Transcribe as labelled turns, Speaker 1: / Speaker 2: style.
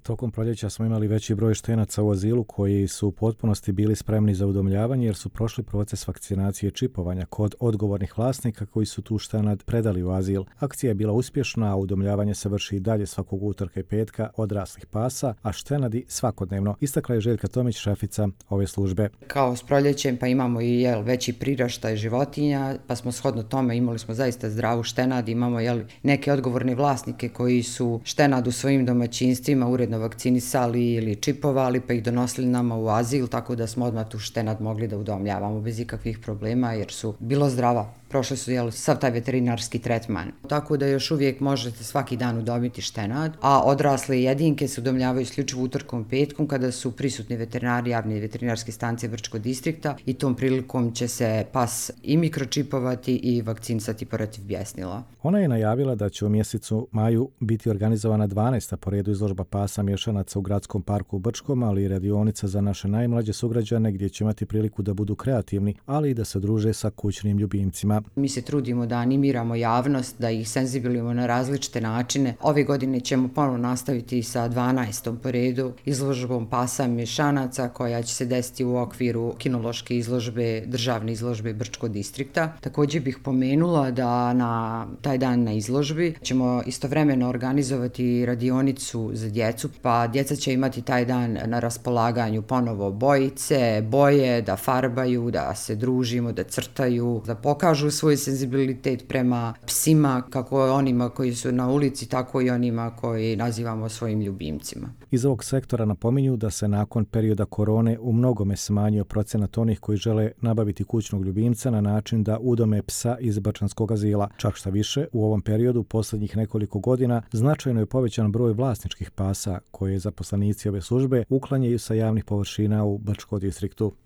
Speaker 1: Tokom proljeća smo imali veći broj štenaca u azilu koji su u potpunosti bili spremni za udomljavanje jer su prošli proces vakcinacije i čipovanja kod odgovornih vlasnika koji su tu štenad predali u azil. Akcija je bila uspješna, a udomljavanje se vrši i dalje svakog utorka i petka odraslih pasa, a štenadi svakodnevno, istakla je Željka Tomić, šefica ove službe.
Speaker 2: Kao s proljećem pa imamo i veći priraštaj životinja, pa smo shodno tome imali smo zaista zdravu štenad, imamo neke odgovorne vlasnike koji su štenad u svojim domaćinstvima uredno vakcinisali ili čipovali pa ih donosili nama u azil, tako da smo odmah tu štenad mogli da udomljavamo bez ikakvih problema jer su bilo zdrava. Prošli su sav taj veterinarski tretman. Tako da još uvijek možete svaki dan udomiti štenad, a odrasle jedinke se udomljavaju isključivo utorkom i petkom kada su prisutni veterinari javne veterinarske stanice Brčkog distrikta i tom prilikom će se pas i mikročipovati i vakcinisati protiv bjesnila.
Speaker 1: Ona je najavila da će u mjesecu maju biti organizovana 12. po redu izložba pasa mješanaca u gradskom parku u Brčkom, ali i radionica za naše najmlađe sugrađane gdje će imati priliku da budu kreativni, ali i da se druže sa kućnim ljubimcima.
Speaker 2: Mi se trudimo da animiramo javnost, da ih senzibilizujemo na različite načine. Ove godine ćemo ponovno nastaviti sa 12. po redu izložbom pasa mješanaca koja će se desiti u okviru kinološke izložbe, državne izložbe Brčkog distrikta. Također bih pomenula da na taj dan na izložbi ćemo istovremeno organizovati radionicu za djecu, pa djeca će imati taj dan na raspolaganju ponovo bojice, boje, da farbaju, da se družimo, da crtaju, da pokažu svoj senzibilitet prema psima, kako onima koji su na ulici, tako i onima koji nazivamo svojim ljubimcima.
Speaker 1: Iz ovog sektora napominju da se nakon perioda korone u mnogome smanjio procenat onih koji žele nabaviti kućnog ljubimca na način da udome psa iz brčanskog azila. Čak šta više, u ovom periodu posljednjih nekoliko godina značajno je povećan broj vlasničkih pasa koje zaposlenici ove službe uklanjaju sa javnih površina u Brčkom distriktu.